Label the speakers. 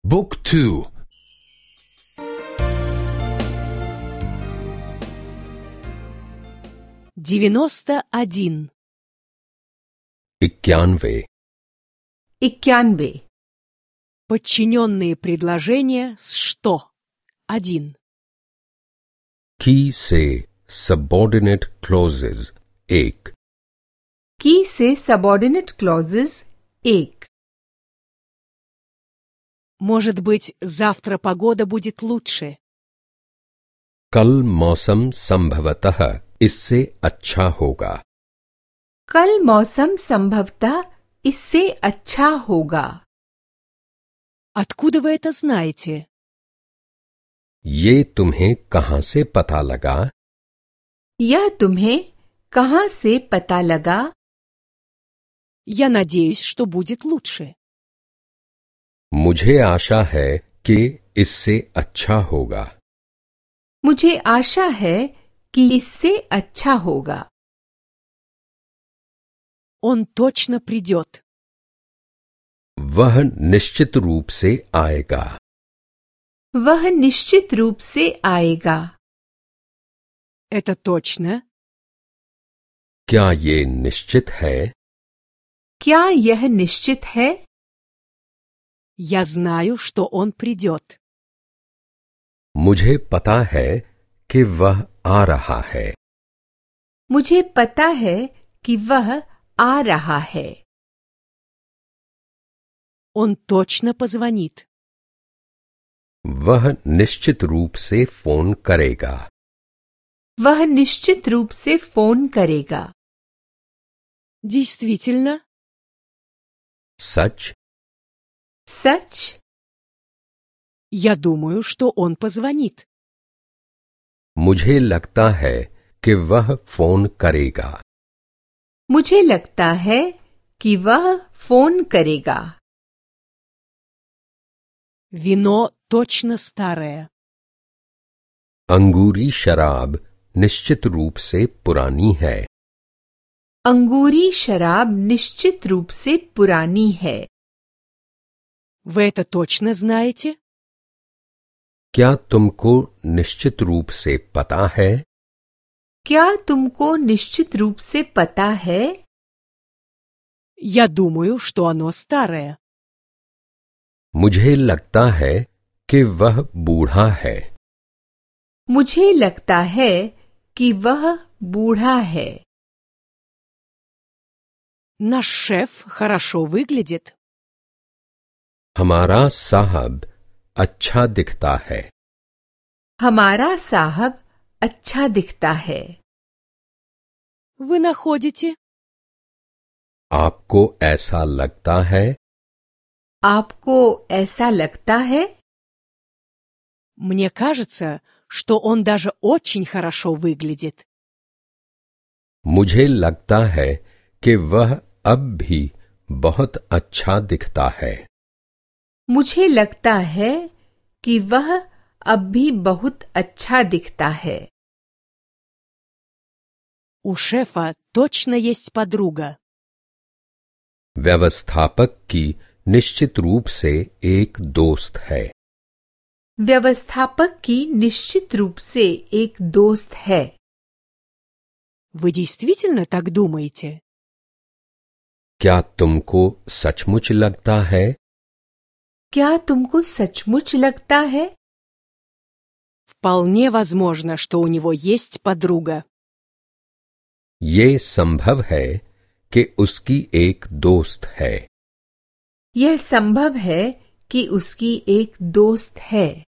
Speaker 1: Book 2.
Speaker 2: 91.
Speaker 3: 91.
Speaker 4: 91.
Speaker 2: Подчиненные предложения с «что». 1.
Speaker 3: की से subordinate clauses 1.
Speaker 4: की से subordinate clauses 1.
Speaker 2: Может быть, завтра погода будет лучше.
Speaker 3: कल मौसम संभवतः इससे अच्छा होगा.
Speaker 4: कल मौसम संभवतः इससे अच्छा होगा.
Speaker 2: Откуда вы это знаете?
Speaker 3: ये तुम्हें कहां से पता लगा?
Speaker 4: यह तुम्हें कहां से पता लगा?
Speaker 2: Я надеюсь, что будет лучше.
Speaker 3: मुझे आशा है कि इससे अच्छा होगा.
Speaker 4: मुझे आशा है कि इससे अच्छा होगा.
Speaker 2: Он точно придет.
Speaker 3: वह निश्चित रूप से आएगा.
Speaker 4: वह निश्चित रूप से आएगा.
Speaker 2: Это точно?
Speaker 3: क्या ये निश्चित है?
Speaker 4: क्या यह निश्चित है?
Speaker 2: Я знаю, что он придет.
Speaker 3: मुझे पता है कि वह आ रहा है.
Speaker 4: मुझे पता है कि वह आ रहा है.
Speaker 2: Он точно позвонит.
Speaker 3: वह निश्चित रूप से फोन करेगा.
Speaker 4: वह निश्चित रूप से फोन करेगा.
Speaker 2: Действительно?
Speaker 3: सच?
Speaker 4: सच?
Speaker 2: Я думаю, что он позвонит.
Speaker 3: मुझे लगता है कि वह फोन करेगा.
Speaker 4: मुझे लगता है कि वह फोन करेगा.
Speaker 2: Вино точно старое.
Speaker 3: अंगूरी शराब निश्चित रूप से पुरानी है.
Speaker 4: अंगूरी शराब निश्चित रूप से पुरानी है.
Speaker 2: Вы это точно знаете?
Speaker 3: क्या तुमको निश्चित रूप से पता है?
Speaker 4: क्या तुमको निश्चित रूप से पता है?
Speaker 2: Я думаю, что оно старое.
Speaker 3: मुझे लगता है कि वह बूढ़ा है.
Speaker 4: मुझे लगता है कि वह बूढ़ा है.
Speaker 2: Наш шеф хорошо выглядит.
Speaker 3: हमारा साहब अच्छा दिखता है.
Speaker 4: हमारा साहब अच्छा दिखता है.
Speaker 2: Вы находите?
Speaker 3: आपको ऐसा लगता है?
Speaker 4: आपको ऐसा लगता है?
Speaker 2: Мне кажется, что он даже очень хорошо выглядит.
Speaker 3: मुझे लगता है कि वह अब भी बहुत अच्छा दिखता है.
Speaker 4: मुझे लगता है कि वह अब भी बहुत अच्छा दिखता है.
Speaker 2: У шефа точно есть подруга.
Speaker 3: व्यवस्थापक की निश्चित रूप से एक दोस्त है.
Speaker 4: व्यवस्थापक की निश्चित रूप से एक दोस्त है.
Speaker 2: Вы действительно так думаете?
Speaker 3: क्या तुमको सचमुच लगता है?
Speaker 4: क्या तुमको सचमुच लगता है?
Speaker 2: Вполне возможно, что у него есть подруга.
Speaker 3: ये संभव है कि उसकी एक दोस्त है.
Speaker 4: यह संभव है कि उसकी एक दोस्त है.